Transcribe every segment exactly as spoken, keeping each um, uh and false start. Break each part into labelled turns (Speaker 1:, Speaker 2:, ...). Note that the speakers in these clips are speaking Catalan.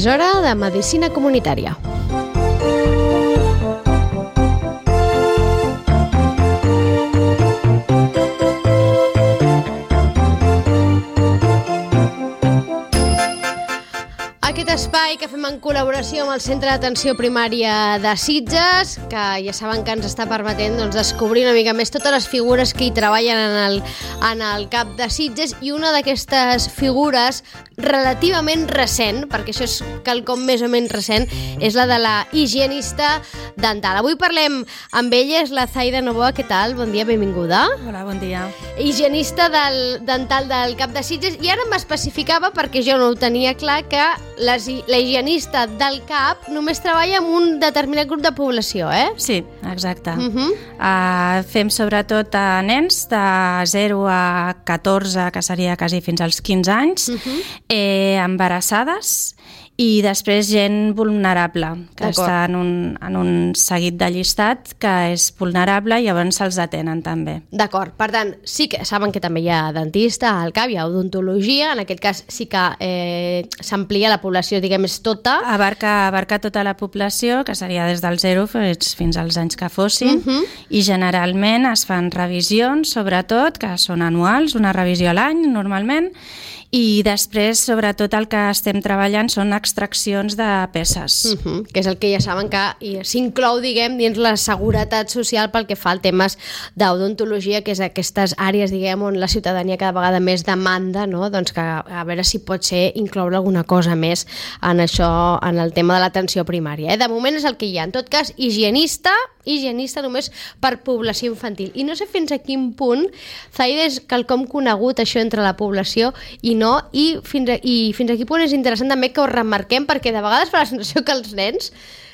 Speaker 1: És hora de medicina comunitària. Aquest espai que fem en col·laboració amb el Centre d'Atenció Primària de Sitges, que ja saben que ens està permetent doncs, descobrir una mica més totes les figures que hi treballen en el, en el CAP de Sitges, i una d'aquestes figures relativament recent, perquè això és quelcom més o menys recent, és la de la higienista dental. Avui parlem amb ella, és la Zaida Novoa. Què tal? Bon dia, benvinguda.
Speaker 2: Hola, bon dia.
Speaker 1: Higienista del, dental del CAP de Sitges, i ara m'especificava, perquè jo no ho tenia clar, que la, la higienista del CAP només treballa amb un determinat grup de població, eh?
Speaker 2: Sí, exacte.
Speaker 1: Uh -huh.
Speaker 2: uh, fem sobretot a nens de zero a catorze, que seria quasi fins als quinze anys, uh -huh. eh, embarassades, i després gent vulnerable, que està en un, en un seguit de llistat que és vulnerable, i llavors se'ls atenen també.
Speaker 1: D'acord, per tant, sí que saben que també hi ha dentista al CAP, hi ha odontologia, en aquest cas sí que eh, s'amplia la població, diguem, és tota.
Speaker 2: Abarca, abarca tota la població, que seria des del zero fins, fins als anys que fossin, uh -huh. i generalment es fan revisions, sobretot, que són anuals, una revisió a l'any, normalment, i després, sobretot, el que estem treballant són extraccions de peces.
Speaker 1: Uh -huh, que és el que ja saben que s'inclou, diguem, dins la seguretat social pel que fa a temes d'odontologia, que és aquestes àrees, diguem, on la ciutadania cada vegada més demanda, no? Doncs que a veure si pot ser incloure alguna cosa més en això, en el tema de l'atenció primària. Eh? De moment és el que hi ha. En tot cas, higienista, higienista només per població infantil. I no sé fins a quin punt, Zaida, és quelcom conegut això entre la població i no, i fins a, i fins a quin punt és interessant també que ho remarquem, perquè de vegades fa la sensació que els nens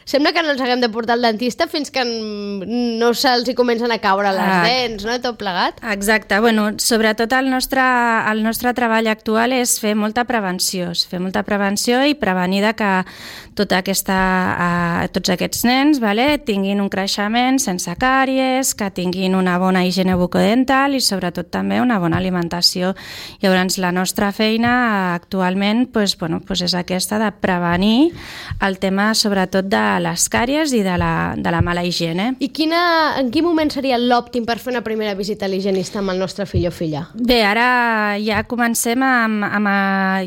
Speaker 1: sembla que no els haguem de portar al dentista fins que no se'ls hi comencen a caure les ah, dents, no? Tot plegat.
Speaker 2: Exacte. Bueno, sobretot el nostre, el nostre treball actual és fer molta prevenció, fer molta prevenció i prevenir de que tota aquesta, uh, tots aquests nens, vale, tinguin un creixement sense càries, que tinguin una bona higiene bucodental i sobretot també una bona alimentació. Llavors, la nostra feina actualment pues, bueno, pues és aquesta de prevenir el tema sobretot de les càries i de la, de la mala higiene.
Speaker 1: I quina, en quin moment seria l'òptim per fer una primera visita a l'higienista amb el nostre fill o filla?
Speaker 2: Bé, ara ja comencem amb... amb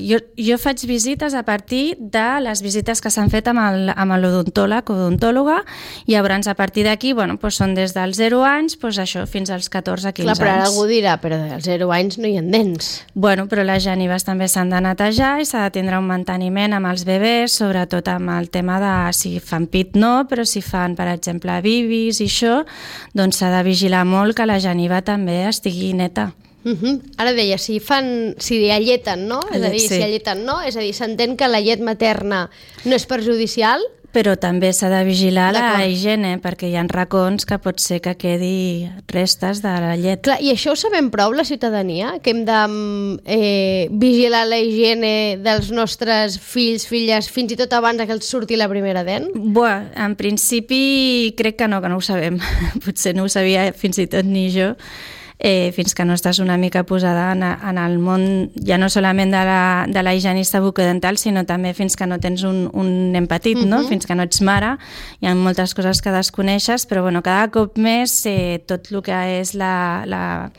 Speaker 2: jo, jo faig visites a partir de les visites que s'han fet amb el, amb l'odontòleg o odontòloga, i llavors a partir d'aquí, bueno, doncs són des dels zero anys, doncs això, fins als catorze quinze anys.
Speaker 1: Clar, però ara algú dirà, però dels zero anys no hi ha dents.
Speaker 2: Bueno, però les genives també s'han de netejar i s'ha de tindre un manteniment amb els bebès, sobretot amb el tema de si fan pit no, però si fan, per exemple, bibis i això, doncs s'ha de vigilar molt que la geniva també estigui neta.
Speaker 1: Uh -huh. Ara deia, si fan, si alleten, no? És a dir, sí. si alleten no, és a dir, s'entén que la llet materna no és perjudicial,
Speaker 2: però també s'ha de vigilar la higiene, perquè hi ha racons que pot ser que quedi restes de la llet.
Speaker 1: Clar, i això ho sabem prou, la ciutadania? Que hem de eh, vigilar la higiene dels nostres fills, filles, fins i tot abans que els surti la primera dent?
Speaker 2: Bé, en principi crec que no, que no ho sabem. Potser no ho sabia fins i tot ni jo. Eh, fins que no estàs una mica posada en, en el món, ja no solament de la, de la higienista bucodental, sinó també fins que no tens un, un nen petit, uh-huh. no? Fins que no ets mare. Hi ha moltes coses que desconeixes, però bueno, cada cop més eh, tot el que és la, la,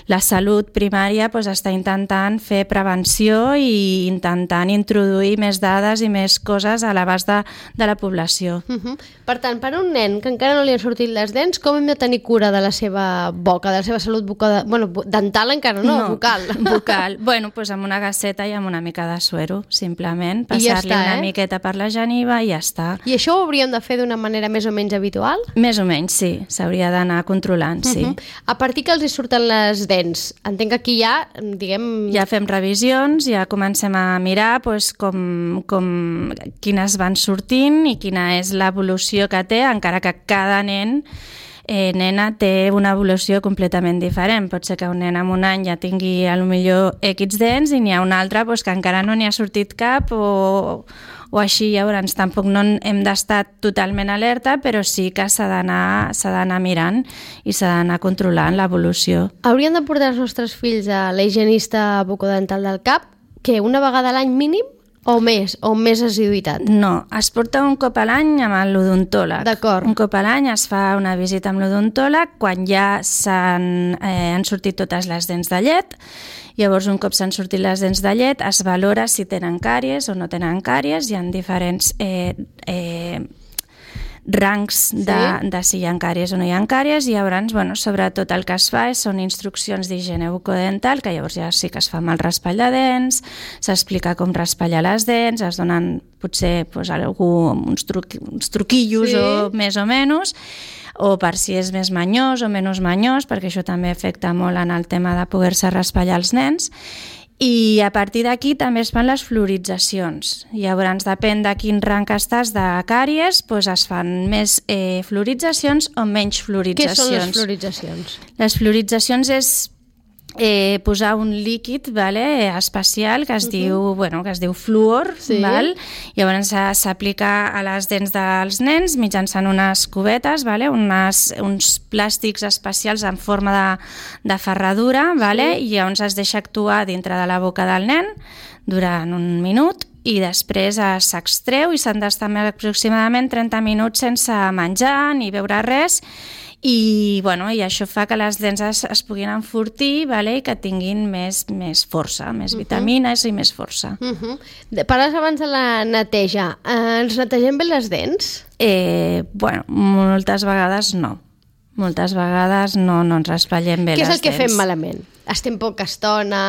Speaker 2: la salut primària pues, està intentant fer prevenció i intentant introduir més dades i més coses a l'abast de, de la població.
Speaker 1: Uh-huh. Per tant, per un nen que encara no li han sortit les dents, com hem de tenir cura de la seva boca, de la seva salut bucodental? Bueno, dental encara no, no bucal.
Speaker 2: Bucal. Bueno, doncs amb una gasseta i amb una mica de suero, simplement. Passar-li ja una eh? miqueta per la geniva i ja està.
Speaker 1: I això ho hauríem de fer d'una manera més o menys habitual?
Speaker 2: Més o menys, sí. S'hauria d'anar controlant, sí. Uh-huh.
Speaker 1: A partir que els hi surten les dents, entenc que aquí ja, diguem...
Speaker 2: Ja fem revisions, ja comencem a mirar doncs, com, com, quines van sortint i quina és l'evolució que té, encara que cada nen Eh, nena té una evolució completament diferent. Pot ser que un nen amb un any ja tingui a lo millor X dents i n'hi ha un altre pues, que encara no n'hi ha sortit cap o, o així. Llavors tampoc no hem d'estar totalment alerta, però sí que s'ha d'anar s'ha d'anar mirant i s'ha d'anar controlant l'evolució.
Speaker 1: Hauríem de portar els nostres fills a la higienista bucodental del CAP, que una vegada a l'any mínim? O més, o més assiduïtat?
Speaker 2: No, es porta un cop a l'any amb l'odontòleg.
Speaker 1: D'acord.
Speaker 2: Un cop a l'any es fa una visita amb l'odontòleg quan ja s'han eh, han sortit totes les dents de llet. Llavors, un cop s'han sortit les dents de llet, es valora si tenen càries o no tenen càries. Hi ha diferents eh, eh, rangs de, sí? de si hi ha càries o no hi ha càries, i llavors, bueno, sobretot el que es fa és, són instruccions d'higiene bucodental, que llavors ja sí que es fa amb el raspall de dents, s'explica com raspallar les dents, es donen potser pues, algú, uns, truc, uns truquillos sí? o més o menys, o per si és més manyós o menys manyós, perquè això també afecta molt en el tema de poder-se raspallar els nens. I a partir d'aquí també es fan les fluoritzacions. Llavors, depèn de quin rang estàs de càries, doncs es fan més eh, fluoritzacions o menys fluoritzacions.
Speaker 1: Què són les fluoritzacions? Les
Speaker 2: fluoritzacions és eh, posar un líquid, vale, especial que es, uh-huh. diu, bueno, que es diu fluor, sí. val? Llavors s'aplica a les dents dels nens mitjançant unes cubetes, vale? unes, uns plàstics especials en forma de, de ferradura, vale? Sí. I llavors es deixa actuar dintre de la boca del nen durant un minut i després s'extreu i s'han d'estar aproximadament trenta minuts sense menjar ni beure res. I, bueno, i això fa que les dents es, es puguin enfortir, vale? I que tinguin més, més força, més vitamines uh-huh. i més força.
Speaker 1: Uh-huh. Parles abans de la neteja. Eh, ens netegem bé les dents?
Speaker 2: Eh, bueno, moltes vegades no. Moltes vegades no, no ens raspallem bé les dents.
Speaker 1: Què és el que fem malament? Estem poca estona,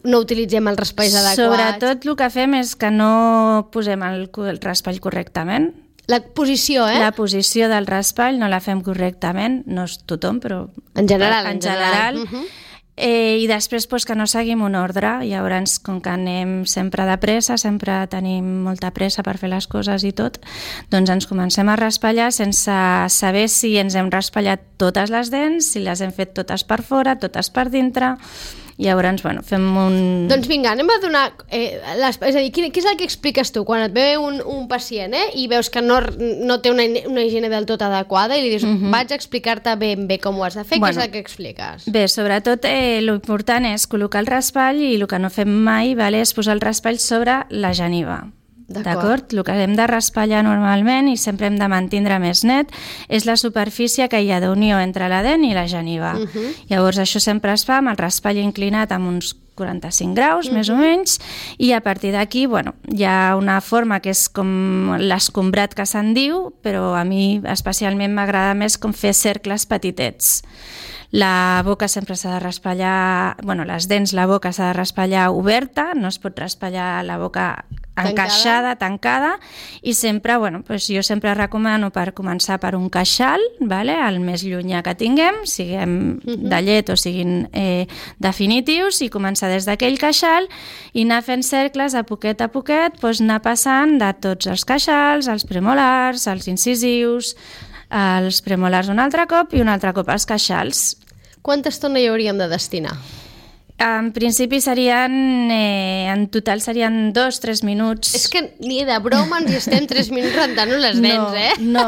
Speaker 1: no utilitzem els raspalls adequats?
Speaker 2: Sobretot el que fem és que no posem el, el raspall correctament.
Speaker 1: La posició, eh?
Speaker 2: La posició del raspall no la fem correctament, no és tothom, però...
Speaker 1: En general.
Speaker 2: En general. En general. Uh-huh. eh, I després pues, que no seguim un ordre. Llavors, com que anem sempre de pressa, sempre tenim molta pressa per fer les coses i tot, doncs ens comencem a raspallar sense saber si ens hem raspallat totes les dents, si les hem fet totes per fora, totes per dintre... Llavors, bueno, fem un...
Speaker 1: Doncs vinga, anem a donar... Eh, les... És a dir, què és el que expliques tu quan et ve un, un pacient eh, i veus que no, no té una, una higiene del tot adequada i li dius, uh-huh. vaig a explicar-te ben bé com ho has de fer, bueno, què és el que expliques?
Speaker 2: Bé, sobretot eh, l'important és col·locar el raspall i el que no fem mai, vale, és posar el raspall sobre la geniva. D'acord? El que hem de raspallar normalment i sempre hem de mantindre més net és la superfície que hi ha d'unió entre la dent i la geniva. Uh-huh. Llavors això sempre es fa amb el raspall inclinat amb uns quaranta-cinc graus, uh-huh. més o menys, i a partir d'aquí, bueno, hi ha una forma que és com l'escombrat que se'n diu, però a mi especialment m'agrada més com fer cercles petitets. La boca sempre s'ha de raspallar, bueno, les dents, la boca s'ha de raspallar oberta, no es pot raspallar la boca encaixada, tancada, i sempre, bueno, doncs jo sempre recomano per començar per un queixal, vale? El més llunyà que tinguem, siguem uh-huh. de llet o siguin eh, definitius, i començar des d'aquell queixal i anar fent cercles a poquet a poquet, doncs anar passant de tots els queixals, els premolars, els incisius, els premolars un altre cop i un altre cop els queixals.
Speaker 1: Quanta estona hi hauríem de destinar?
Speaker 2: En principi serien, eh, en total serien dos, tres minuts.
Speaker 1: És que ni de broma ens hi estem tres minuts rentant-nos les dents,
Speaker 2: no,
Speaker 1: eh?
Speaker 2: No,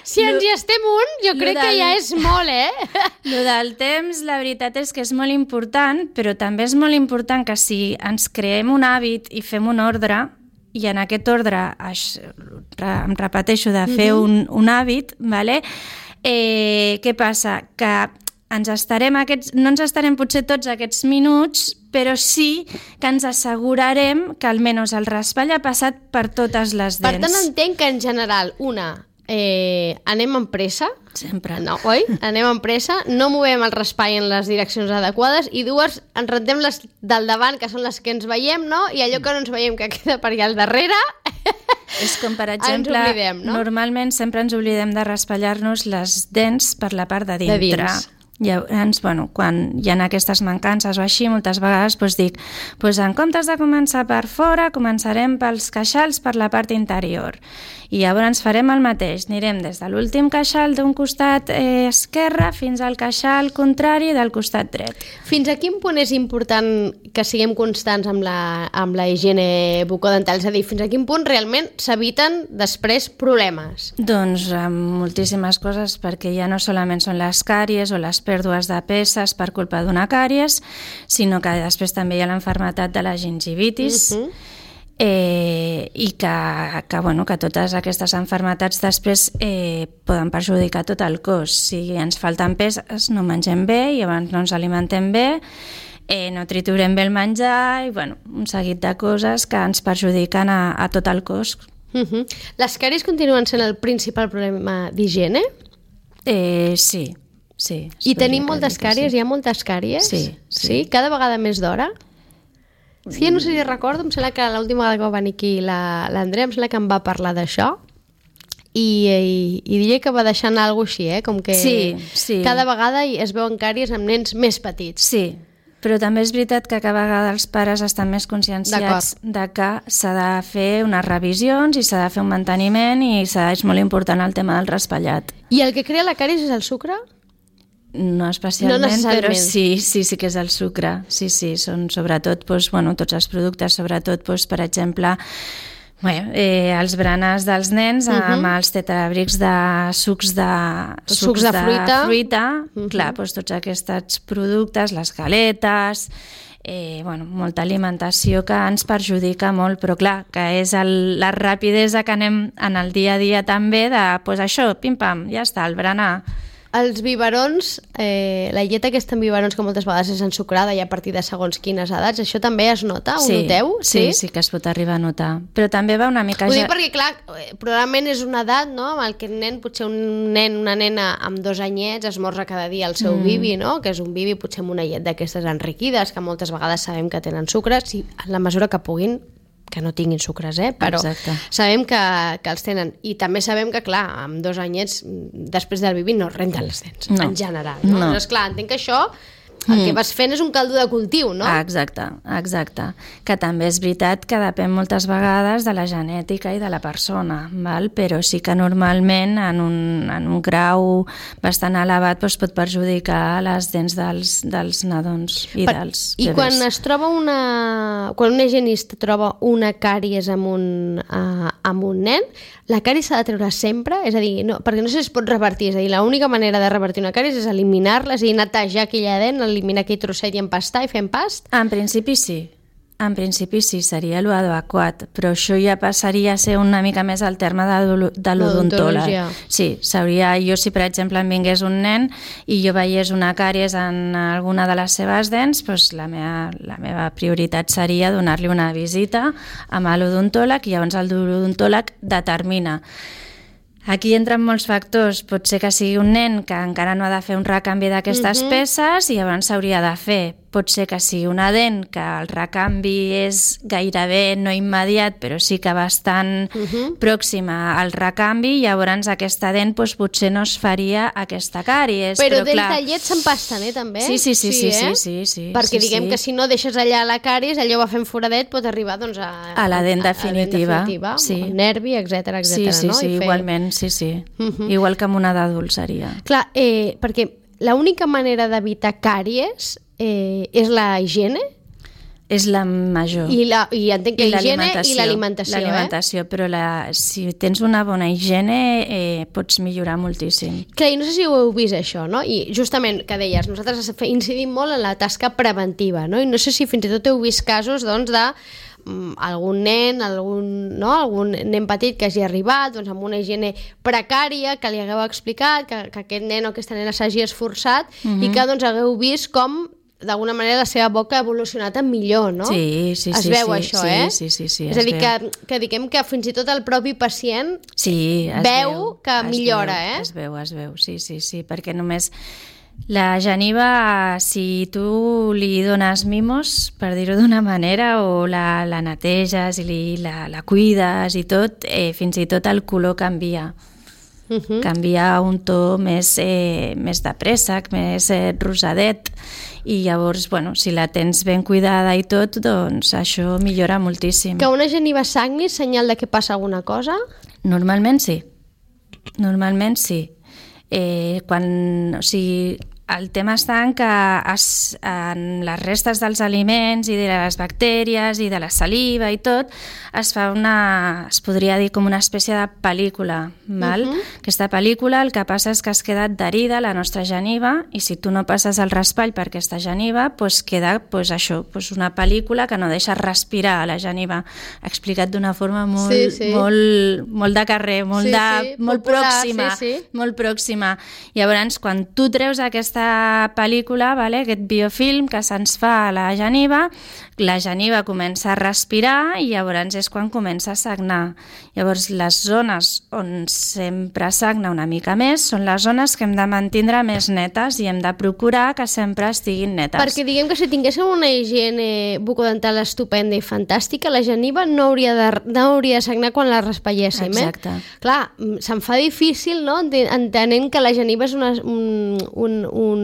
Speaker 1: si ens hi estem un, jo crec del, que ja és molt, eh?
Speaker 2: Lo del temps, la veritat és que és molt important, però també és molt important que si ens creem un hàbit i fem un ordre, i en aquest ordre em repeteixo de fer uh-huh. un, un hàbit, vale? eh, què passa? Que ens estarem aquests, no ens estarem potser tots aquests minuts, però sí que ens assegurarem que almenys el raspall ha passat per totes les dents.
Speaker 1: Per tant, entenc que en general, una, eh, anem amb pressa,
Speaker 2: sempre.
Speaker 1: No, oi? Anem amb pressa, no movem el raspall en les direccions adequades, i dues, ens rentem les del davant, que són les que ens veiem, no? I allò que no ens veiem que queda per allà al darrere...
Speaker 2: És com, per exemple,
Speaker 1: ens oblidem, no?
Speaker 2: Normalment sempre ens oblidem de raspallar-nos les dents per la part de dintre. De dins. Llavors, bueno, quan hi ha aquestes mancances o així, moltes vegades doncs dic, doncs en comptes de començar per fora, començarem pels queixals per la part interior. I llavors farem el mateix, anirem des de l'últim queixal d'un costat eh, esquerre fins al queixal contrari del costat dret.
Speaker 1: Fins a quin punt és important que siguem constants amb la, amb la higiene bucodental? És a dir, fins a quin punt realment s'eviten després problemes?
Speaker 2: Doncs amb moltíssimes coses, perquè ja no solament són les càries o les pèrdues de peces per culpa d'una càries, sinó que després també hi ha l'enfermetat de la gingivitis. Uh-huh. eh, i que, que, bueno, que totes aquestes malalties després eh, poden perjudicar tot el cos. Si ens falten peces, no mengem bé i abans no ens alimentem bé, eh, no triturem bé el menjar i bueno, un seguit de coses que ens perjudiquen a, a tot el cos.
Speaker 1: Uh-huh. Les càries continuen sent el principal problema d'higiene?
Speaker 2: Eh, sí, sí.
Speaker 1: I tenim moltes càries? Sí. Hi ha moltes càries?
Speaker 2: Sí, sí.
Speaker 1: Sí? Cada vegada més d'hora? Sí, jo no sé si recordo, em sembla que l'última vegada que va venir aquí l'Andrea, em sembla que em va parlar d'això i, i, i diria que va deixar anar alguna cosa així, eh? Com que
Speaker 2: sí, sí.
Speaker 1: cada vegada es veuen càries amb nens més petits.
Speaker 2: Sí, però també és veritat que cada vegada els pares estan més conscienciats de que s'ha de fer unes revisions i s'ha de fer un manteniment i és molt important el tema del raspallat.
Speaker 1: I el que crea la càries és el sucre?
Speaker 2: No especialment,
Speaker 1: no
Speaker 2: però sí, sí, sí que és el sucre. Sí, sí, són sobretot doncs, bueno, tots els productes, sobretot, doncs, per exemple, bueno, eh, els berenars dels nens uh -huh. amb els tetrabrics de sucs de, sucs
Speaker 1: sucs de, de fruita,
Speaker 2: fruita uh -huh. clar, doncs, tots aquests productes, les galetes, eh, bueno, molta alimentació que ens perjudica molt, però clar, que és el, la rapidesa que anem en el dia a dia també de, doncs això, pim-pam, ja està, el berenar.
Speaker 1: Els biberons, eh, la llet aquesta en biberons que moltes vegades és ensucrada i a partir de segons quines edats, això també es nota? Ho
Speaker 2: sí,
Speaker 1: noteu?
Speaker 2: Sí, sí, sí que es pot arribar a notar. Però també va una mica...
Speaker 1: Ho dic perquè, clar, probablement és una edat, no?, amb el que el nen, potser un nen, una nena amb dos anyets esmorza cada dia el seu mm. bibi, no?, que és un bibi potser amb una llet d'aquestes enriquides, que moltes vegades sabem que tenen sucre, si en la mesura que puguin, que no tinguin sucres, eh? Però exacte. Sabem que, que els tenen. I també sabem que, clar, amb dos anyets, després del bibi no renten les dents, no. en general. No? No. Doncs, clar, entenc que això, el que vas fent és un caldo de cultiu, no?
Speaker 2: Ah, exacte, exacte. Que també és veritat que depèn moltes vegades de la genètica i de la persona, val? Però sí que normalment en un, en un grau bastant elevat doncs pot perjudicar les dents dels, dels nadons i per, dels bebès.
Speaker 1: I quan es troba una... quan un higienista troba una càries amb un, uh, amb un nen, la càries s'ha de treure sempre? És a dir, no, perquè no sé si es pot revertir, és a dir, l'única manera de revertir una càries és eliminar-la, és a dir, netejar aquella dent, eliminar aquell trosset i empastar i fer empast?
Speaker 2: En principi sí. En principi sí, seria l'adequat, però això ja passaria a ser una mica més al terme de, de l'odontòleg. Sí, s'hauria, jo si per exemple em vingués un nen i jo veiés una càries en alguna de les seves dents, doncs la meva, la meva prioritat seria donar-li una visita amb l'odontòleg i llavors el odontòleg determina. Aquí entren molts factors, pot ser que sigui un nen que encara no ha de fer un recanvi d'aquestes uh-huh. peces i llavors s'hauria de fer. Pot ser que sigui una dent que el recanvi és gairebé no immediat, però sí que bastant uh-huh. pròxima al recanvi, i llavors aquesta dent doncs, potser no es faria aquesta càries.
Speaker 1: Però,
Speaker 2: però
Speaker 1: dents
Speaker 2: clar...
Speaker 1: de llet s'empasten, eh, també?
Speaker 2: Sí, sí, sí, sí,
Speaker 1: sí, eh?
Speaker 2: sí, sí, sí,
Speaker 1: perquè
Speaker 2: sí,
Speaker 1: diguem
Speaker 2: sí.
Speaker 1: que si no deixes allà la càries, allò va fent foradet, pot arribar doncs, a,
Speaker 2: a la dent definitiva,
Speaker 1: a la dent definitiva
Speaker 2: sí.
Speaker 1: el nervi, etcètera, etcètera.
Speaker 2: Sí, sí,
Speaker 1: no?
Speaker 2: sí,
Speaker 1: fer...
Speaker 2: igualment, sí, sí.
Speaker 1: Uh-huh.
Speaker 2: Igual que amb una d'adult seria.
Speaker 1: Clar, eh, perquè l'única manera d'evitar càries eh, és la higiene?
Speaker 2: És la major.
Speaker 1: I, la, i entenc que la higiene i l'alimentació.
Speaker 2: L'alimentació,
Speaker 1: eh?
Speaker 2: però la, si tens una bona higiene eh, pots millorar moltíssim.
Speaker 1: Clar, i no sé si ho heu vist això, no? I justament, que deies, nosaltres incidim molt en la tasca preventiva, no? I no sé si fins i tot heu vist casos, doncs, de algun nen, algun, no? algun nen petit que hagi arribat doncs, amb una higiene precària, que li hagueu explicat, que, que aquest nen o aquesta nena s'hagi esforçat uh-huh. i que doncs, hagueu vist com d'alguna manera la seva boca ha evolucionat en millor, no?
Speaker 2: Sí, sí,
Speaker 1: es
Speaker 2: sí.
Speaker 1: veu
Speaker 2: sí,
Speaker 1: això,
Speaker 2: sí,
Speaker 1: eh?
Speaker 2: Sí, sí, sí,
Speaker 1: és a dir, que, que diguem que fins i tot el propi pacient
Speaker 2: sí, es
Speaker 1: veu,
Speaker 2: veu
Speaker 1: que
Speaker 2: es
Speaker 1: millora,
Speaker 2: veu,
Speaker 1: eh?
Speaker 2: Es veu, es veu, sí, sí, sí, perquè només la geniva, si tu li dones mimos, per dir-ho d'una manera, o la, la neteges i li, la, la cuides i tot, eh, fins i tot el color canvia. Uh-huh. Canvia a un to més, eh, més de préssec, més eh, rosadet, i llavors, bueno, si la tens ben cuidada i tot, doncs això millora moltíssim.
Speaker 1: Que una geniva sagni és senyal de que passa alguna cosa?
Speaker 2: Normalment sí. Normalment sí. Eh, quan, o sigui, el tema està en que es, en les restes dels aliments i de les bactèries i de la saliva i tot es fa una, es podria dir com una espècie de pel·lícula, val? Uh-huh. Aquesta pel·lícula el que passa és que es queda adherida a la nostra geniva i si tu no passes el raspall per aquesta geniva, doncs queda doncs això, doncs una pel·lícula que no deixa respirar a la geniva. Explicat d'una forma molt, sí, sí. molt, molt de carrer, molt, sí, de, sí, molt popular, pròxima, sí, sí. molt pròxima. Llavors, quan tu treus aquesta pel·lícula, vale, aquest biofilm que se'ns fa a la geniva, la geniva comença a respirar i llavors és quan comença a sagnar. Llavors, les zones on sempre sagna una mica més són les zones que hem de mantindre més netes i hem de procurar que sempre estiguin netes.
Speaker 1: Perquè diguem que si tinguéssim una higiene bucodental estupenda i fantàstica, la geniva no hauria de, no hauria de sagnar quan la raspalléssim.
Speaker 2: Exacte.
Speaker 1: Eh? Clar, se'm fa difícil, no?, entenent que la geniva és una, un, un, un,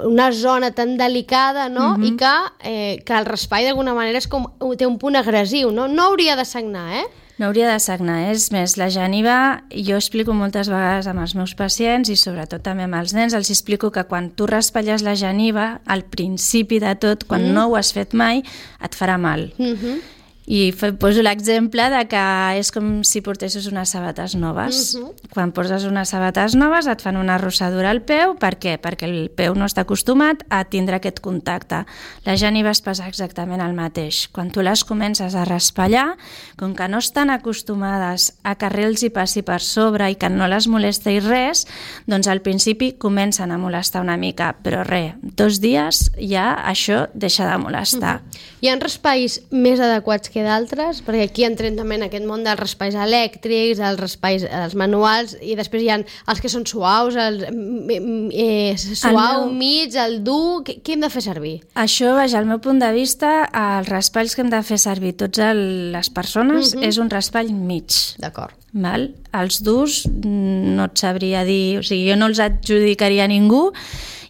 Speaker 1: una zona tan delicada, no?, uh-huh. i que, eh, que el raspall d'alguna manera és com, té un punt agressiu, no? No hauria de sagnar, eh?
Speaker 2: No hauria de sagnar. És més, la geniva, jo explico moltes vegades amb els meus pacients i sobretot també amb els nens, els explico que quan tu raspalles la geniva, al principi de tot, quan mm. no ho has fet mai, et farà mal. Mm-hmm. I poso l'exemple de que és com si portessis unes sabates noves. Uh-huh. Quan poses unes sabates noves et fan una rossadura al peu. Per què? Perquè el peu no està acostumat a tindre aquest contacte. La geniva es passa exactament el mateix. Quan tu les comences a raspallar, com que no estan acostumades a que res hi passi per sobre i que no les molesta i res, doncs al principi comencen a molestar una mica, però res, dos dies ja això deixa de molestar.
Speaker 1: Uh-huh. Hi ha raspalls més adequats que d'altres? Perquè aquí entrem també en aquest món dels raspalls elèctrics, els raspalls els manuals, i després hi ha els que són suaus, el eh, suau, el meu... mig, el dur... Què, què hem de fer servir?
Speaker 2: Això, vaja, al meu punt de vista, els raspalls que hem de fer servir tots el, les persones uh-huh. és un raspall mig.
Speaker 1: D'acord.
Speaker 2: Val? Els durs no et sabria dir... O sigui, jo no els adjudicaria a ningú,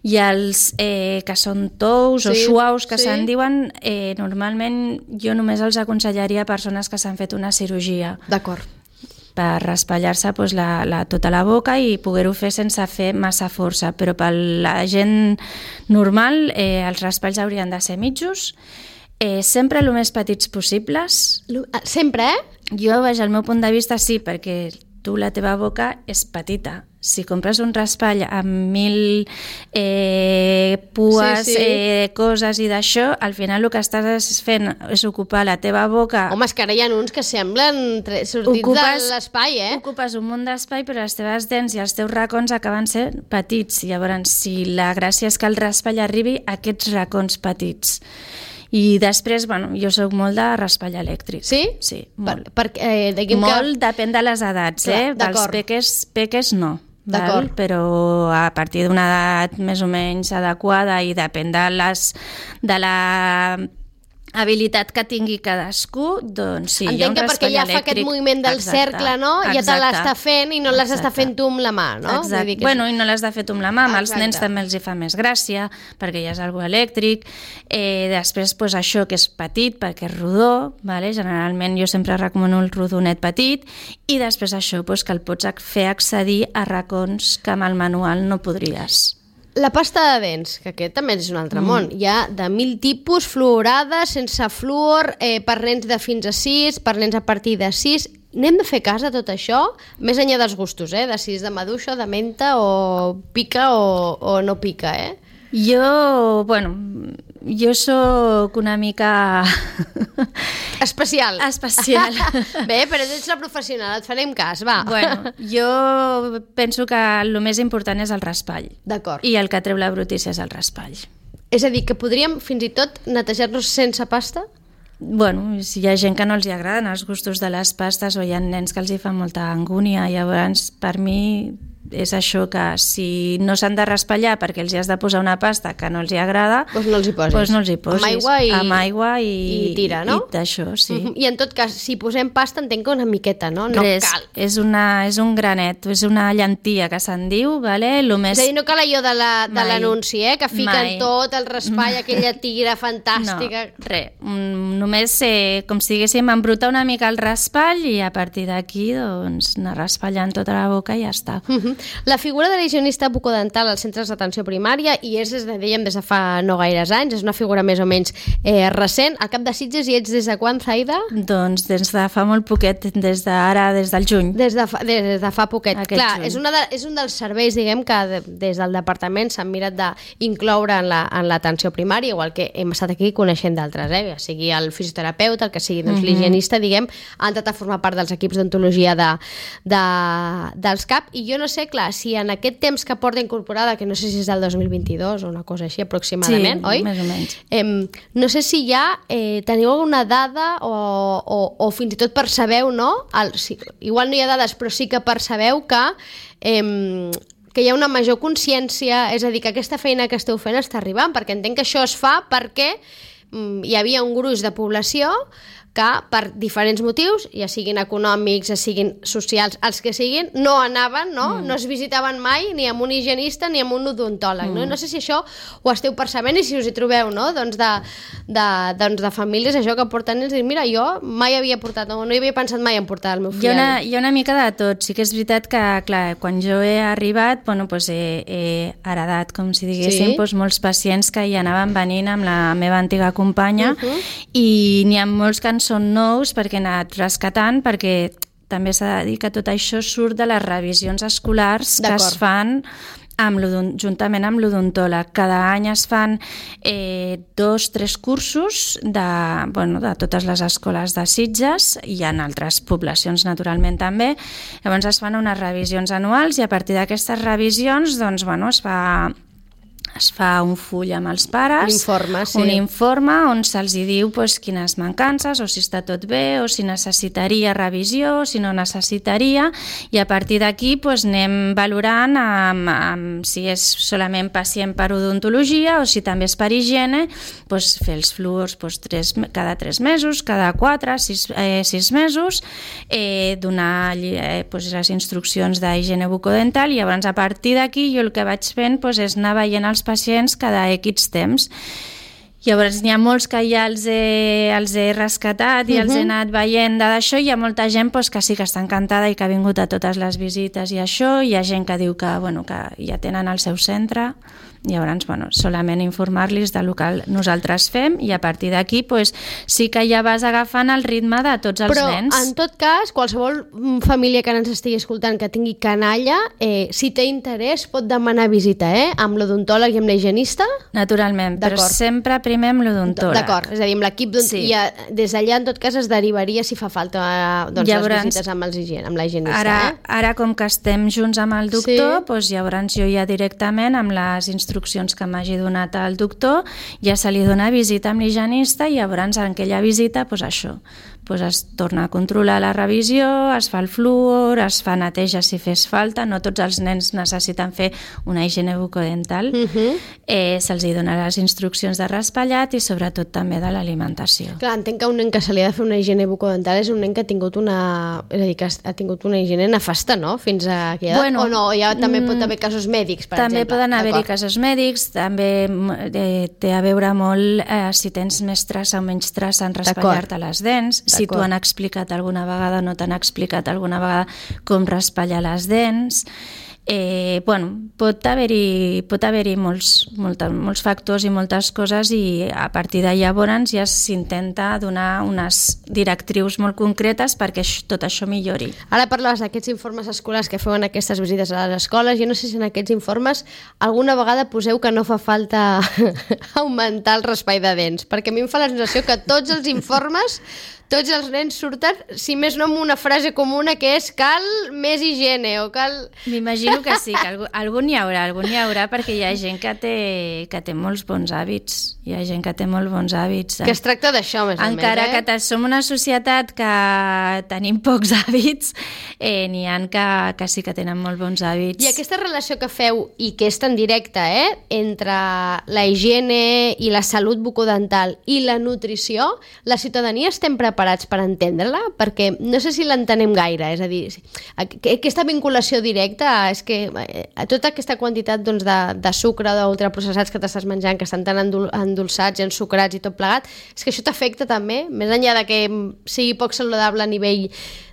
Speaker 2: i els eh, que són tous sí, o suaus que sí. se'n diuen, eh, normalment jo només els aconsellaria a persones que s'han fet una cirurgia.
Speaker 1: D'acord.
Speaker 2: Per raspallar-se doncs, la, la, tota la boca i poder-ho fer sense fer massa força, però per la gent normal eh, els raspalls haurien de ser mitjos, eh, sempre el més petits possibles.
Speaker 1: Sempre, eh?
Speaker 2: Jo, vaja, al meu punt de vista sí, perquè tu la teva boca és petita. Si compres un raspall amb mil eh, pues, sí, sí. Eh, coses i d'això, al final el que estàs fent és ocupar la teva boca...
Speaker 1: Home, és que ara hi ha uns que semblen sortits ocupes, de l'espai, eh?
Speaker 2: Ocupes un munt d'espai, però les teves dents i els teus racons acaben sent petits. Llavors, si la gràcia és que el raspall arribi a aquests racons petits. I després, bueno, jo soc molt de raspall elèctric.
Speaker 1: Sí?
Speaker 2: Sí, molt.
Speaker 1: Per, per, eh,
Speaker 2: molt
Speaker 1: que...
Speaker 2: depèn de les edats, clar, eh? Dels peques, peques no. Val? Però a partir d'una edat més o menys adequada i depèn de, les, de la habilitat que tingui cadascú, doncs sí,
Speaker 1: entenc
Speaker 2: hi ha un
Speaker 1: que perquè ja
Speaker 2: elèctric.
Speaker 1: Fa aquest moviment del exacte, cercle, no? Exacte, ja te l'està fent i no les està fent tu amb la mà, no?
Speaker 2: Exacte. Vull dir que bueno, i no l'has de fer tu amb la mà, amb els nens també els hi fa més gràcia, perquè ja és algo elèctric. Eh, després, pues, això que és petit, perquè és rodó, vale? Generalment jo sempre recomano el rodonet petit, i després això, pues, que el pots fer accedir a racons que amb el manual no podries.
Speaker 1: La pasta de dents, que aquest també és un altre mm. món. Hi ha de mil tipus, fluorada, sense fluor, eh, per nens de fins a sis, per nens a partir de sis. N'hem de fer cas de tot això, més enllà dels gustos, eh? De si és de maduixa, de menta, o pica o, o no pica, eh?
Speaker 2: Jo, bueno, jo sóc una mica...
Speaker 1: Especial.
Speaker 2: Especial.
Speaker 1: Bé, però ets la professional, et farem cas, va.
Speaker 2: Bueno, jo penso que el més important és el raspall.
Speaker 1: D'acord.
Speaker 2: I el que treu la brutícia és el raspall.
Speaker 1: És a dir, que podríem fins i tot netejar-nos sense pasta?
Speaker 2: Bueno, si hi ha gent que no els hi agraden els gustos de les pastes o hi ha nens que els hi fan molta angúnia, llavors per mi és això, que si no s'han de raspallar perquè els hi has de posar una pasta que no els hi agrada,
Speaker 1: doncs no els hi posis.
Speaker 2: Doncs no els hi posis.
Speaker 1: Amb aigua i,
Speaker 2: amb aigua i,
Speaker 1: i tira, no?
Speaker 2: I d'això, sí. Uh-huh.
Speaker 1: I en tot cas, si posem pasta, entenc que una miqueta, no? No
Speaker 2: Res,
Speaker 1: cal.
Speaker 2: És, una, és un granet, és una llentia que se'n diu, vale? Lo més...
Speaker 1: És a dir, no cal allò de l'anunci, eh? Que fiquen Mai. tot el raspall, aquella tira fantàstica.
Speaker 2: No, res. Només, eh, com si diguéssim, embrutar una mica el raspall i a partir d'aquí, doncs, anar raspallant tota la boca i ja està.
Speaker 1: Uh-huh. la figura de l'higienista bucodental als centres d'atenció primària, i és, des de, dèiem, des de fa no gaires anys, és una figura més o menys eh, recent. Al cap de Sitges hi ets des de quan, Zaida?
Speaker 2: Doncs des de fa molt poquet, des d'ara, des del juny.
Speaker 1: Des de fa, des de fa poquet.
Speaker 2: Aquest
Speaker 1: Clar,
Speaker 2: juny.
Speaker 1: és, una de, és un dels serveis, diguem, que de, des del departament s'han mirat d'incloure en l'atenció la, primària, igual que hem estat aquí coneixent d'altres, eh? Ja sigui el fisioterapeuta, el que sigui doncs, mm-hmm. l'higienista, diguem, han entrat a formar part dels equips d'ontologia de, de, dels C A P, i jo no sé, clar, si en aquest temps que porta incorporada, que no sé si és del dos mil vint-i-dos o una cosa així aproximadament,
Speaker 2: sí,
Speaker 1: oi?
Speaker 2: Més o menys.
Speaker 1: Eh, no sé si ja eh, teniu alguna dada o, o, o fins i tot percebeu, no? El, si, igual no hi ha dades, però sí que percebeu que, eh, que hi ha una major consciència, és a dir, que aquesta feina que esteu fent està arribant, perquè entenc que això es fa perquè mm, hi havia un gruix de població que per diferents motius, ja siguin econòmics, ja siguin socials, els que siguin, no anaven, no? Mm. No es visitaven mai ni amb un higienista ni amb un odontòleg, mm. no? No sé si això ho esteu percebent i si us hi trobeu, no? Doncs de, de, doncs de famílies, això que porten nens, i mira, jo mai havia portat, no, no hi havia pensat mai en portar el meu fill.
Speaker 2: Hi ha una, hi ha una mica de tot. Sí que és veritat que, clar, quan jo he arribat, bueno, pues he, he heredat, com si diguéssim, sí? Pues molts pacients que hi anaven venint amb la meva antiga companya, uh-huh. i n'hi ha molts que són nous perquè he anat rescatant, perquè també s'ha de dir que tot això surt de les revisions escolars que es fan amb juntament amb l'odontòleg. Cada any es fan eh, dos, tres cursos de, bueno, de totes les escoles de Sitges, i en altres poblacions naturalment també. Llavors es fan unes revisions anuals i a partir d'aquestes revisions doncs, bueno, es fa... es fa un full amb els pares,
Speaker 1: un informe, sí.
Speaker 2: un informe on se'ls diu pues, quines mancances, o si està tot bé, o si necessitaria revisió, o si no necessitaria, i a partir d'aquí pues, anem valorant amb, amb, si és solament pacient per odontologia o si també és per higiene, pues, fer els fluors pues, tres, cada tres mesos, cada quatre, sis, eh, sis mesos, eh, donar eh, pues, les instruccions d'higiene bucodental, i llavors a partir d'aquí jo el que vaig fent pues, és anar veient els pacients cada X temps. Llavors n'hi ha molts que ja els he, els he rescatat i uh-huh. els he anat veient d'això. Hi ha molta gent pues, que sí que està encantada i que ha vingut a totes les visites i això. Hi ha gent que diu que, bueno, que ja tenen el seu centre. Llavors, bueno, solament informar-los del que nosaltres fem, i a partir d'aquí pues, sí que ja vas agafant el ritme de tots els
Speaker 1: Però,
Speaker 2: nens.
Speaker 1: Però, en tot cas, qualsevol família que ens estigui escoltant que tingui canalla, eh, si té interès, pot demanar visita, eh? Amb l'odontòleg i amb l'higienista?
Speaker 2: Naturalment, però sempre primer amb l'odontòleg.
Speaker 1: D'acord, és a dir, amb l'equip sí. I des d'allà, en tot cas, es derivaria si fa falta doncs, llavors, les visites amb, els higien, amb l'higienista.
Speaker 2: Ara,
Speaker 1: eh?
Speaker 2: ara, com que estem junts amb el doctor,
Speaker 1: sí.
Speaker 2: doncs, llavors jo ja directament amb les instruccions instruccions que m'hagi donat el doctor, ja se li dona visita amb l'higienista, i llavors en aquella visita, doncs això, doncs es torna a controlar la revisió, es fa el fluor, es fa neteja si fes falta, no tots els nens necessiten fer una higiene bucodental, uh-huh. eh, se'ls dona les instruccions de raspallat i sobretot també de l'alimentació.
Speaker 1: Clar, entenc que un nen que se li ha de fer una higiene bucodental és un nen que ha tingut una, és a dir, que ha tingut una higiene nefasta, no? Fins a aquella edat, bueno, o no? Ja també pot haver casos mèdics, per
Speaker 2: també
Speaker 1: exemple.
Speaker 2: També poden haver-hi casos mèdics, també eh, té a veure molt eh, si tens més traça o menys traça en raspallar-te les dents, si t'ho han explicat alguna vegada o no t'han explicat alguna vegada com raspallar les dents. Eh, bueno, pot haver-hi pot haver-hi molts, molta, molts factors i moltes coses, i a partir de llavors ja s'intenta donar unes directrius molt concretes perquè tot això millori.
Speaker 1: Ara parlaves d'aquests informes escolars que feu en aquestes visites a les escoles. Jo no sé si en aquests informes alguna vegada poseu que no fa falta augmentar el raspall de dents, perquè a mi em fa la sensació que tots els informes, tots els nens surten, si més no, amb una frase comuna que és cal més higiene o cal...
Speaker 2: M'imagino que sí, que algú, algun hi haurà, algun hi haurà, perquè hi ha gent que té, que té molts bons hàbits, hi ha gent que té molts bons hàbits.
Speaker 1: Que es tracta d'això, més o menys,
Speaker 2: Encara
Speaker 1: eh?
Speaker 2: que som una societat que tenim pocs hàbits, eh, n'hi ha que, que sí que tenen molt bons hàbits.
Speaker 1: I aquesta relació que feu, i que és tan directa, eh, entre la higiene i la salut bucodental i la nutrició, la ciutadania estem preparats preparats per entendre-la, perquè no sé si l'entenem gaire, és a dir, aquesta vinculació directa és que tota aquesta quantitat doncs, de, de sucre o d'ultraprocessats que t'estàs menjant, que estan tan endul endolçats i ensucrats i tot plegat, és que això t'afecta també, més enllà de que sigui poc saludable a nivell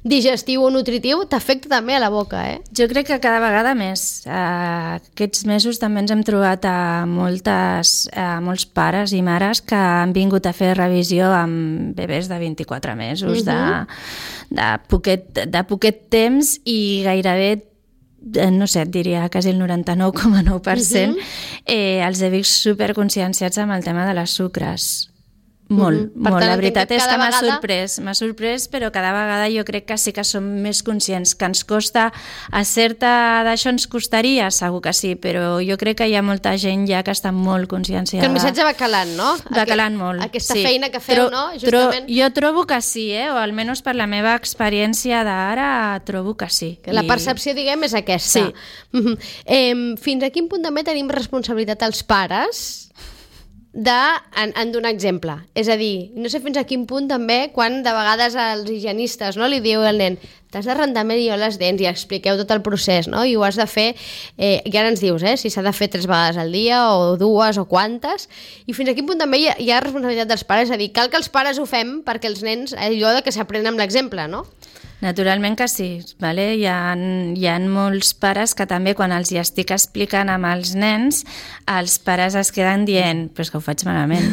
Speaker 1: digestiu o nutritiu, t'afecta també a la boca, eh?
Speaker 2: Jo crec que cada vegada més. Uh, aquests mesos també ens hem trobat a, moltes, a molts pares i mares que han vingut a fer revisió amb bebès de vint-i-quatre mesos, uh -huh. de, de, poquet, de poquet temps i gairebé no sé, et diria quasi el noranta-nou coma nou per cent, uh -huh. eh, els he vist superconscienciats amb el tema de les sucres. Molt, uh -huh. molt. Tant, la veritat és que m'ha vegada... sorprès, m'ha sorprès, però cada vegada jo crec que sí que som més conscients, que ens costa, a certa d'això ens costaria, segur que sí, però jo crec que hi ha molta gent ja que està molt conscienciada.
Speaker 1: Que el missatge va calant, no?
Speaker 2: Va calant molt.
Speaker 1: Aquesta
Speaker 2: sí.
Speaker 1: feina que feu,
Speaker 2: tro
Speaker 1: no? Justament.
Speaker 2: Tro jo trobo que sí, eh? O almenys per la meva experiència d'ara trobo que sí.
Speaker 1: Que la percepció, diguem, és aquesta.
Speaker 2: Sí.
Speaker 1: Uh -huh. eh, fins a quin punt també tenim responsabilitat els pares de, en, en donar exemple. És a dir, no sé fins a quin punt també, quan de vegades els higienistes, no, li diu al nen t'has de rentar millor les dents i expliqueu tot el procés, no? I ho has de fer, eh, i ara ens dius, eh, si s'ha de fer tres vegades al dia o dues o quantes, i fins a quin punt també hi ha, hi ha responsabilitat dels pares, és a dir, cal que els pares ho fem perquè els nens, allò de que s'aprenen amb l'exemple, no?
Speaker 2: Naturalment que sí, vale? Hi ha, hi ha molts pares que també quan els hi estic explicant amb els nens, els pares es queden dient però és que ho faig malament.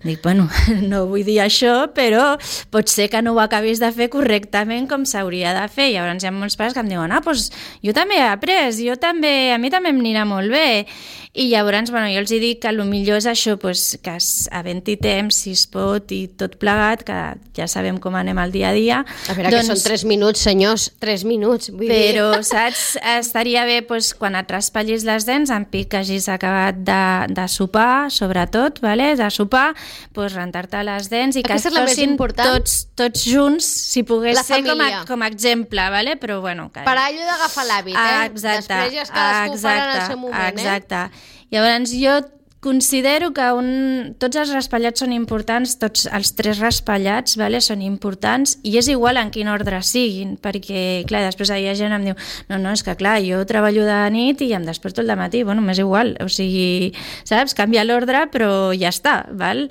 Speaker 2: Dic, bueno, no vull dir això, però pot ser que no ho acabis de fer correctament com s'hauria de fer. Llavors hi ha molts pares que em diuen, ah, doncs jo també he après, jo també, a mi també em anirà molt bé. I llavors, bueno, jo els dic que el millor és això, doncs, que havent-hi temps, si es pot, i tot plegat, que ja sabem com anem al dia a dia.
Speaker 1: A veure, doncs, que són tres minuts, senyors, tres minuts. Vull
Speaker 2: però,
Speaker 1: dir.
Speaker 2: saps, estaria bé doncs, quan et raspallis les dents, en pic que hagis acabat de, de sopar, sobretot, vale? de sopar, doncs, rentar-te les dents i
Speaker 1: aquesta
Speaker 2: que fossin tots, tots junts, si pogués
Speaker 1: la
Speaker 2: ser com
Speaker 1: família.
Speaker 2: a, com a exemple, vale? Però bueno... Que...
Speaker 1: Per allò d'agafar l'hàbit, eh?
Speaker 2: Exacte,
Speaker 1: després ja és cadascú farà en el seu moment,
Speaker 2: exacte.
Speaker 1: eh?
Speaker 2: Llavors jo considero que un, tots els raspallats són importants, tots els tres raspallats, vale, són importants, i és igual en quin ordre siguin, perquè, clar, després hi ha gent que em diu no, no, és que clar, jo treballo de nit i em desperto el dematí, bueno, m'és igual, o sigui, saps, canvia l'ordre, però ja està, val?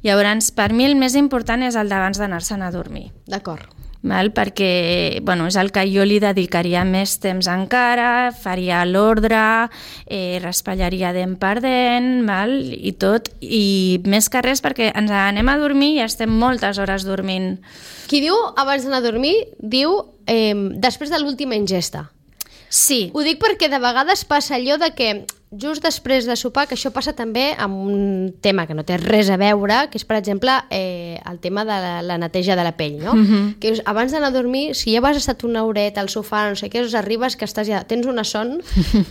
Speaker 2: Llavors, per mi el més important és el d'abans d'anar-se'n a dormir.
Speaker 1: D'acord.
Speaker 2: Val? Perquè bueno, és el que jo li dedicaria més temps encara, faria l'ordre, eh, raspallaria dent per dent, val? I tot, i més que res perquè ens anem a dormir i estem moltes hores dormint.
Speaker 1: Qui diu abans d'anar a dormir, diu eh, després de l'última ingesta.
Speaker 2: Sí.
Speaker 1: Ho dic perquè de vegades passa allò de que just després de sopar, que això passa també amb un tema que no té res a veure, que és, per exemple, eh, el tema de la, la neteja de la pell, no? Mm-hmm. Que abans d'anar a dormir, si ja has estat una horeta al sofà, no sé què, arribes que estàs ja, tens una son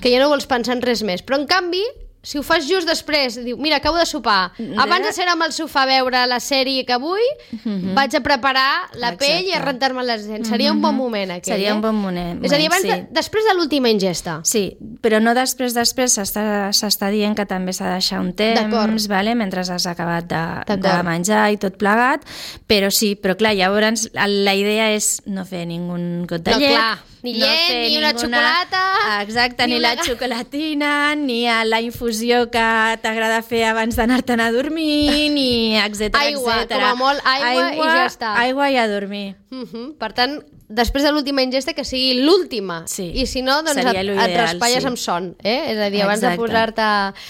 Speaker 1: que ja no vols pensar en res més. Però, en canvi, si ho fas just després, diu, mira, acabo de sopar, abans de ser amb el sofà a veure la sèrie que vull, mm-hmm. vaig a preparar la Exacte. pell i a rentar-me les dents. Seria mm-hmm. un bon moment, aquell,
Speaker 2: Seria
Speaker 1: eh?
Speaker 2: un bon moment,
Speaker 1: És a dir, abans
Speaker 2: sí.
Speaker 1: de, després de l'última ingesta.
Speaker 2: Sí, però no després, després s'està dient que també s'ha de deixar un temps, vale? Mentre has acabat de, de menjar i tot plegat, però sí, però clar, llavors la idea és no fer ningú got de
Speaker 1: no,
Speaker 2: llet,
Speaker 1: clar. Ni llet, no ni ninguna... una xocolata...
Speaker 2: Exacte, ni,
Speaker 1: ni
Speaker 2: la
Speaker 1: una...
Speaker 2: xocolatina, ni a la infusió que t'agrada fer abans d'anar-te'n a dormir, ni etcètera,
Speaker 1: aigua,
Speaker 2: etcètera.
Speaker 1: com a molt aigua, aigua i ja està.
Speaker 2: Aigua i a dormir.
Speaker 1: Uh -huh. Per tant, després de l'última ingesta, que sigui l'última.
Speaker 2: Sí.
Speaker 1: I si no, doncs et, et raspalles sí. amb son. Eh? És a dir, abans Exacte. de posar-te...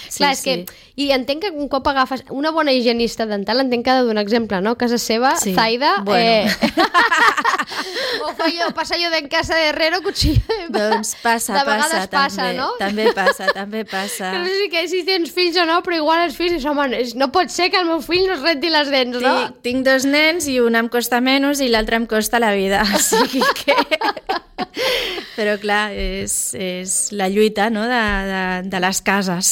Speaker 2: Sí,
Speaker 1: Clar, és
Speaker 2: sí.
Speaker 1: que... I entenc que un cop agafes una bona higienista dental, entenc que ha de donar exemple, no? A casa seva,
Speaker 2: sí.
Speaker 1: Zaida...
Speaker 2: Bueno.
Speaker 1: Eh... o, jo, passa jo en casa de Herrero, cuchillo...
Speaker 2: Doncs passa,
Speaker 1: de vegades
Speaker 2: passa,
Speaker 1: passa,
Speaker 2: també,
Speaker 1: no?
Speaker 2: també passa, també passa.
Speaker 1: Que no sé que si tens fills o no, però igual els fills, home, no pot ser que el meu fill no es renti les dents, no?
Speaker 2: Tinc, tinc dos nens i un em costa menys i l'altre em costa la vida, o sigui que... Però clar, és, és la lluita, no?, de, de, de les cases.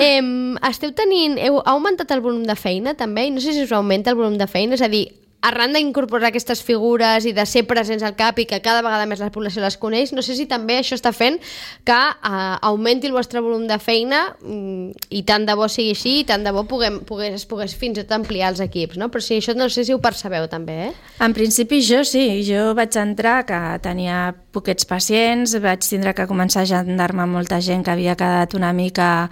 Speaker 1: eh, esteu tenint... Heu augmentat el volum de feina, també? I no sé si us augmenta el volum de feina, és a dir, arran d'incorporar aquestes figures i de ser presents al CAP i que cada vegada més la població les coneix, no sé si també això està fent que uh, augmenti el vostre volum de feina um, i tant de bo sigui així i tant de bo puguem, pugués, es pogués fins i tot ampliar els equips, no? Però sí, això no sé si ho percebeu també, eh?
Speaker 2: En principi jo sí, jo vaig entrar que tenia poquets pacients, vaig tindre que començar a agendar-me molta gent que havia quedat una mica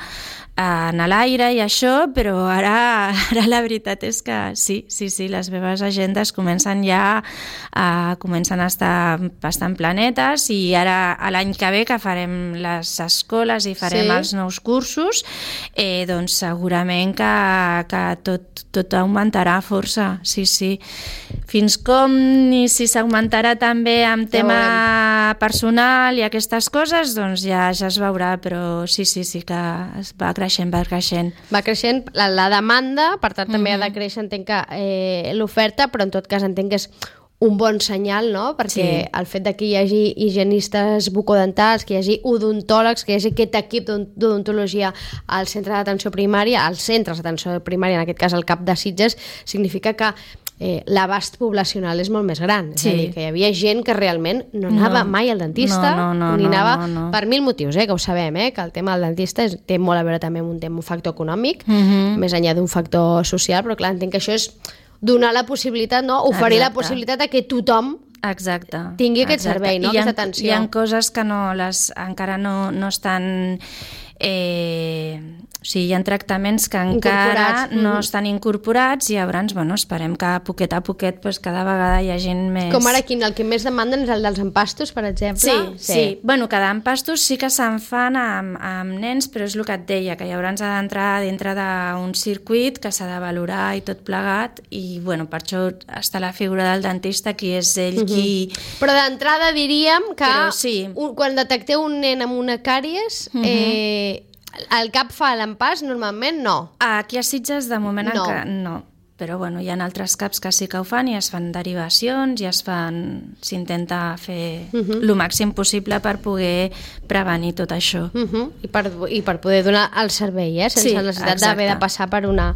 Speaker 2: en l'aire i això, però ara, ara la veritat és que sí, sí, sí, les meves agendes comencen ja a, comencen a estar bastant planetes i ara l'any que ve que farem les escoles i farem sí. els nous cursos, eh, doncs segurament que, que tot, tot augmentarà força, sí, sí. Fins com i si s'augmentarà també amb tema ja personal i aquestes coses, doncs ja, ja es veurà, però sí, sí, sí que es va creixent, va creixent.
Speaker 1: Va creixent la, la demanda, per tant també mm-hmm. ha de créixer, entenc que eh, l'oferta, però en tot cas entenc que és un bon senyal, no? Perquè sí. el fet de que hi hagi higienistes bucodentals, que hi hagi odontòlegs, que hi hagi aquest equip d'odontologia al centre d'atenció primària, als centres d'atenció primària, en aquest cas al CAP de Sitges, significa que Eh, l'abast poblacional és molt més gran, és sí. a dir, que hi havia gent que realment no anava no. mai al dentista,
Speaker 2: no, no, no,
Speaker 1: ni anava
Speaker 2: no, no, no.
Speaker 1: per mil motius, eh, que ho sabem, eh, que el tema del dentista és, té molt a veure també amb un tema, un factor econòmic,
Speaker 2: mm-hmm.
Speaker 1: més enllà d'un factor social, però clar, entenc que això és donar la possibilitat, no? Oferir Exacte. la possibilitat de que tothom
Speaker 2: Exacte.
Speaker 1: tingui aquest
Speaker 2: Exacte.
Speaker 1: servei, no?
Speaker 2: I
Speaker 1: aquesta
Speaker 2: ha,
Speaker 1: atenció.
Speaker 2: Hi ha coses que no les, encara no, no estan... Eh, o sigui, hi ha tractaments que encara no estan incorporats i llavors, bueno, esperem que a poquet a poquet pues, cada vegada hi ha gent més...
Speaker 1: Com ara quin, el que més demanden és el dels empastos, per exemple?
Speaker 2: Sí, sí. sí. Bueno, cada empastos sí que se'n fan amb, amb nens, però és el que et deia, que llavors ha d'entrar dintre d'un circuit que s'ha de valorar i tot plegat i, bueno, per això està la figura del dentista, qui és ell uh-huh. qui...
Speaker 1: Però d'entrada diríem que
Speaker 2: sí.
Speaker 1: un, quan detecteu un nen amb una càries... Uh-huh. eh, el CAP fa l'empàs? Normalment no.
Speaker 2: Aquí a Sitges de moment
Speaker 1: no.
Speaker 2: encara no. Però bueno, hi ha altres CAPs que sí que ho fan i es fan derivacions i es fan... s'intenta fer uh-huh. el màxim possible per poder prevenir tot això.
Speaker 1: Uh-huh. I, per, I per poder donar el servei, eh? sense sí, necessitat d'haver de passar per una,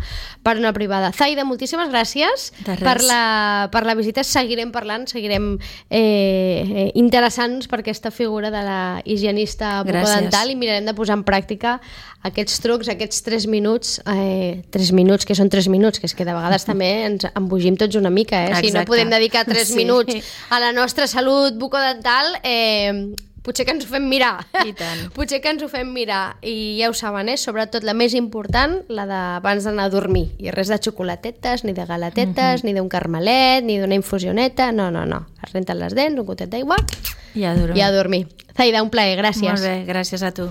Speaker 1: per una privada. Zaida, moltíssimes gràcies per la, per la visita. Seguirem parlant, seguirem eh, interessant-nos per aquesta figura de la higienista bucodental i mirarem de posar en pràctica aquests trucs, aquests tres minuts, eh, tres minuts, que són tres minuts, que és que de vegades també ens embogim tots una mica, eh? Si no podem dedicar tres sí. minuts a la nostra salut bucodental, eh, potser que ens ho fem mirar.
Speaker 2: I tant.
Speaker 1: Potser que ens ho fem mirar. I ja ho saben, eh? Sobretot la més important, la d'abans d'anar a dormir. I res de xocolatetes, ni de galatetes, mm-hmm. ni d'un carmelet, ni d'una infusioneta. No, no, no. Es renten les dents, un gotet d'aigua
Speaker 2: i a dormir.
Speaker 1: I a dormir. Zaida, un plaer, gràcies.
Speaker 2: Molt bé, gràcies a tu.